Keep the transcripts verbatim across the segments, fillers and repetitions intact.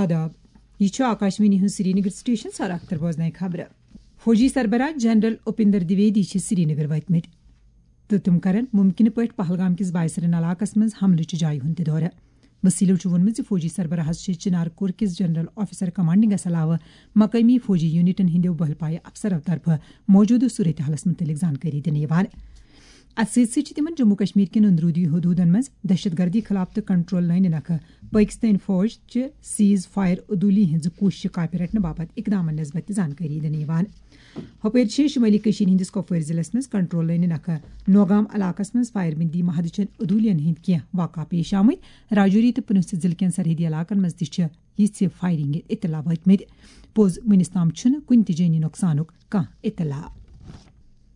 آداب، یہِ چھُ آکاشوانی ہُنٛد سرینگر سٹیشن۔ سر اختر بوزناوِ خبرٕ۔ فوجی سربراہ جنرل اپیندر دویدی چھِ سرینگر وٲتمٕتۍ تہٕ تِم کرن ممکنہٕ پٲٹھۍ پہلگام کِس بایسرن علاقس منٛز حملہٕ چہِ جایہِ ہُنٛد تہِ دورٕ۔ وسیلو چھُ ووٚنمُت زِ فوجی سربراہس چھِ چنار کور کِس جنرل آفیسر کمانڈنگس علاوٕ مقٲمی فوجی یونٹن ہٕنٛدیو بہل پایہِ افسرو طرفہٕ موجودٕ صورتحالس مُتعلق زانکٲری دِنہٕ یِوان۔ اتھ سۭتۍ سۭتۍ چھِ تِمن جموں کشمیر کٮ۪ن اندروٗدی حدوٗدن منٛز دہشت گردی خلاف تہٕ کنٹرول لٲنہِ نکھٕ پٲکستٲنۍ فوج چہِ سیز فائر عدوٗلی ہٕنٛزٕ کوٗششہِ کاپہِ رٹنہٕ باپتھ اقدامن نسبت تہِ زانکٲری دِنہٕ یِوان۔ ہۄپٲرۍ چھِ شمٲلی کٔشیٖرِ ہٕنٛدِس کۄپوٲرۍ ضلعس منٛز کنٹرول لٲنہِ نکھٕ نوگام علاقس منٛز فائر بندی معاہدٕ چٮ۪ن عدوٗلین ہٕنٛدۍ کینٛہہ واقعہٕ پیش آمٕتۍ۔ راجوری تہٕ پُنچھ ضلعہٕ کٮ۪ن سرحدی علاقن منٛز تہِ چھِ یِژھِ فائرنگہِ اطلاع وٲتمٕتۍ۔ پوٚز، وُنِس تام چھُنہٕ کُنہِ تہِ جٲنی نۄقصانُک کانٛہہ اطلاع۔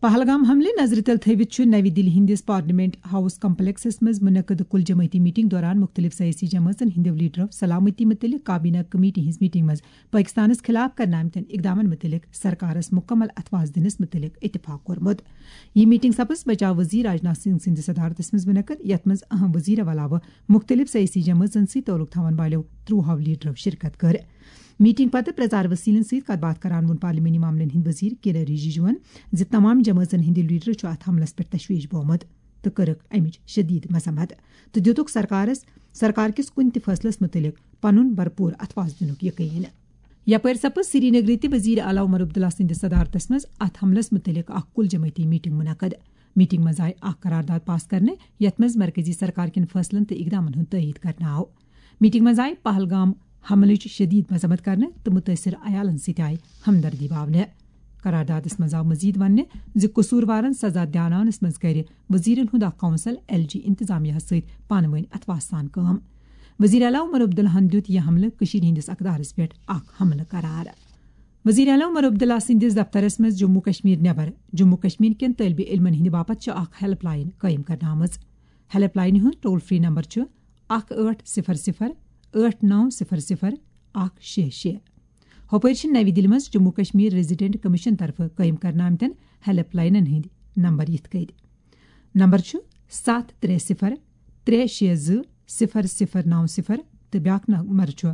پہلگام حملہٕ نظرِ تل تھٲوِتھ چھُ نَوِ دِلہِ ہٕنٛدِس پارلیمنٹ ہاؤس کمپلیکسس منٛز منعقد کُل جمٲعتی میٹنگ دوران مُختٔلِف سیٲسی جمٲژن ہٕنٛدیو لیڈرو سلامتی مُتعلق کابینہ کمیٹی ہٕنٛز میٹنگ منٛز پٲکستانس خلاف کرنہٕ آمتٮ۪ن اقدامن مُتعلق سرکارس مُکمل اتھواز دِنس مُتعلق اتفاق کوٚرمُت۔ یہِ میٹنگ سپٕز بچاو وزیر راجناتھ سنگھ سٕنٛدِ صدارتس منٛز منعقد، یتھ منٛز اہم وزیرو علاوٕ مُختٔلِف سیٲسی جمٲژن سۭتۍ تعلق تھاون والٮ۪و ترٛوہو لیڈرو شرکت کٔر۔ میٹنگ پتہٕ پرژار وسیلن سۭتۍ کتھ باتھ کران ووٚن پارلیمانی معاملن ہٕنٛدۍ وزیر کِرن رِجِجوَن زِ تمام جمٲژن ہٕنٛدۍ لیڈرو چھُ اتھ حملس پٮ۪ٹھ تشویش بومُت تہٕ کٔرٕکھ امِچ شدید مذمت تہٕ دِتُکھ سرکارس سرکار کِس کُنہِ تہِ فٲصلس مُتعلق پنُن بھرپوٗر اتھواز دِنُک یقین۔ یپٲرۍ سپٕز سرینگرٕ تہِ وزیر اعلیٰ عمر عبداللہ سٕنٛدِس صدارتس منٛز اتھ حملس مُتعلق اکھ کُل جمٲعتی میٹنگ منعقد۔ میٹنگ منٛز آیہِ اکھ قرارداد پاس کرنہٕ، یتھ منٛز مرکزی سرکار کٮ۪ن فٲصلن تہٕ اقدامن ہُنٛد تٲیید کرنہٕ آو۔ میٹنگ منٛز آیہِ پہلگام حملٕچ شدید مذمت کرنہٕ تہٕ مُتٲثر عیالن سۭتۍ آیہِ ہمدردی باونہٕ۔ قراردادس منٛز آو مزید وننہٕ زِ قصوٗروارن سزا دیاناونس منٛز کرِ وزیرن ہُنٛد اکھ کونسل ایل جی انتظامیہ سۭتۍ پانہٕ وٲنۍ اتھواہ سان کٲم۔ وزیر اعلیٰ عمر عبداللہن دیُت یہِ حملہٕ کٔشیٖرِ ہٕنٛدِس اقدارس پٮ۪ٹھ اکھ حملہٕ قرار۔ وزیر اعلیٰ عمر عبداللہ سٕنٛدِس دفترس منٛز جموں کشمیر نٮ۪بر جموں کشمیر کٮ۪ن طٲلبہِ علمن ہٕنٛدِ باپتھ چھِ اکھ ہیلپ لاین قٲیِم کرنہٕ آمٕژ۔ ہیلپ لاینہِ ہُنٛد ٹول فری نمبر چھُ اکھ ٲٹھ صفر صفر ٲٹھ نو صفر صفر اکھ شےٚ شےٚ۔ ہۄپٲرۍ چھِ نَوِ دِلہِ منٛز جموں کشمیر ریزیڈنٹ کمیشن طرفہٕ قٲیِم کرنہٕ آمتٮ۪ن ہیلپ لاینن ہٕنٛدۍ نمبر یِتھ کٔنۍ۔ نمبر چھُ ستھ ترٛےٚ صفر ترٛےٚ شےٚ زٕ صفر صفر نو صفر تہٕ بیٛاکھ نمبر چھُ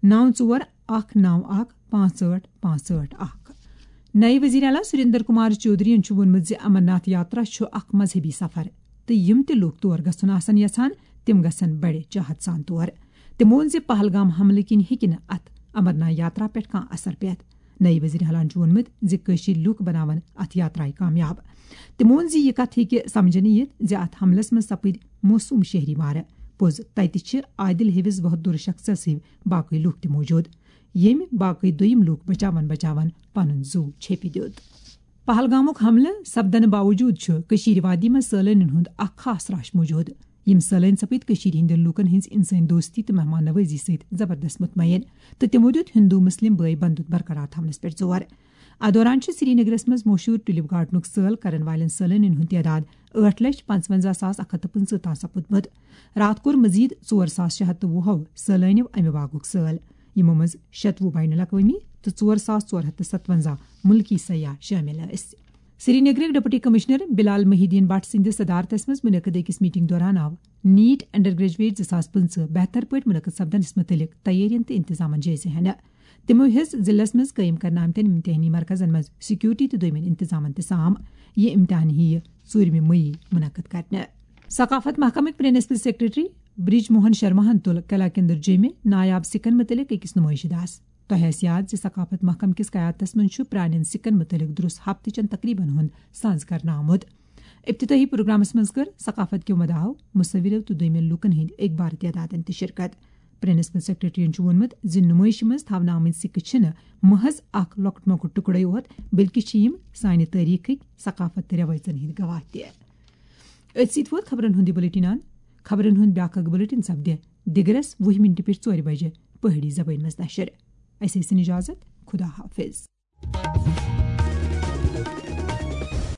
نو ژور اکھ نو اکھ پانٛژھ ٲٹھ پانٛژھ ٲٹھ اکھ۔ نئے وزیر اعلیٰ سریندر کمار چودھرین چھُ ووٚنمُت زِ امرناتھ یاترا چھُ اکھ مذہبی سفر تہٕ یِم تہِ لوٗکھ تور گژھُن آسن یژھان، تِم گژھن بڑِ چاہت سان تور۔ تٔمۍ ووٚن زِ پہلگام حملہٕ کِنۍ ہیٚکہِ نہٕ اتھ امرناتھ یاترا پٮ۪ٹھ کانٛہہ اثر پٮ۪تھ۔ نئے وزیر اعلیٰ چھُ ووٚنمُت زِ کٲشِرۍ لوٗکھ بناون اتھ یاترایہِ کامیاب۔ تٔمۍ ووٚن زِ یہِ کتھ ہیٚکہِ سمجھنہٕ یِتھ زِ اتھ حملس منٛز سپٕدۍ معصوم شہری مارٕ۔ پوٚز، تتہِ چھِ عادل ہِوِس بہادُر شخصس ہِوۍ باقٕے لوٗکھ تہِ موجود، ییٚمۍ باقٕے دوٚیِم لوٗکھ بچاون بچاون پنُن زُو چھیٚپہِ دیُت۔ پہلگامُک حملہٕ سپدنہٕ باوجود چھُ کٔشیٖرِ وادی منٛز سٲلٲنین ہُنٛد اکھ خاص راش موجود۔ یِم سٲلٲنۍ سپٕدۍ کٔشیٖرِ ہٕنٛدٮ۪ن لوٗکن ہٕنٛز انسٲنی دوستی تہٕ مہمان نوٲزی سۭتۍ زبردست مطمئن، تہٕ تِمو دیُت ہندو مسلم بٲے بندُت برقرار تھاونس پٮ۪ٹھ زور۔ اتھ دوران چھُ سرینگرس منٛز مشہوٗر ٹولپ گارڈنُک سٲل کرن والٮ۪ن سٲلٲنین ہُنٛد تعداد ٲٹھ لچھ پنٛژونزہ ساس اکھ ہتھ تہٕ پٕنٛژٕہ تام سپُدمُت۔ راتھ کوٚر مزید ژور ساس شےٚ ہتھ تہٕ وُہو سٲلٲنیو امہِ باغُک سٲل، یِمو منٛز شتوُہ بین الاقوٲمی تہٕ ژور ساس ژور ہتھ تہٕ ستونزہ مُلکی سیاح شٲمِل ٲسۍ۔ سرینگرٕکۍ ڈپٹی کمشنر بلال محی الدین بٹ سٕنٛدِس صدارتس منٛز منعقد أکِس میٹنگ دوران آو نیٹ انڈر گریجویٹ زٕ ساس پٕنٛژٕہ بہتر پٲٹھۍ منعقد سپدنس مُتعلق تیٲرین تہٕ انتظامن جٲیزٕ ہینہٕ۔ تِمو ہیٚژ ضلعس منٛز قٲیِم کرنہٕ آمتٮ۪ن امتحٲنی مرکزن منٛز سیکورٹی تہٕ دوٚیمٮ۪ن انتظامن تہِ سام۔ یہِ امتحان یِیہِ ژوٗرمہِ مئی منعقد کرنہٕ۔ ثقافت محکمٕکۍ پرنسپل سیکرٹری برج موہن شرماہن تُل قلعہ کندر جیمہِ نایاب سکن مُتعلق أکِس نُمٲیشہِ داس۔ تۄہہِ آسہِ یاد زِ ثقافت محکمہٕ کِس قیادتس منٛز چھُ پرانٮ۪ن سکن مُتعلق درست ہفتہٕ چٮ۪ن تقریبن ہُنٛد ساز کرنہٕ آمُت۔ ابتدٲئی پروگرامس منٛز کٔر ثقافت کیو مداحو، مصورو تہٕ دوٚیمٮ۪ن لوٗکن ہٕنٛدۍ اخبار تعدادن تہِ شرکت۔ پرنسپل سیکرٹریَن چھُ ووٚنمُت زِ نُمٲیشہِ منٛز تھاونہٕ آمٕتۍ سکہٕ چھِنہٕ محض اکھ لۄکُٹ مۄکُٹ ٹُکڑے یوت، بلکہِ چھِ یِم سانہِ تٲریخٕکۍ، ثقافت تہٕ رٮ۪وٲیژن ہٕنٛدۍ گواہ تہِ۔ أتھۍ سۭتۍ ووت خبرن ہُنٛد یہِ بلیٹن اند۔ خبرن ہُنٛد بیٛاکھ اکھ بلیٹن سپدِ دِگرس وُہہِ مِنٹہِ پٮ۪ٹھ ژورِ بجہِ پہٲڑی زبٲنۍ منٛز نشر۔ اسہِ ٲسِن اجازت، خدا حافظ۔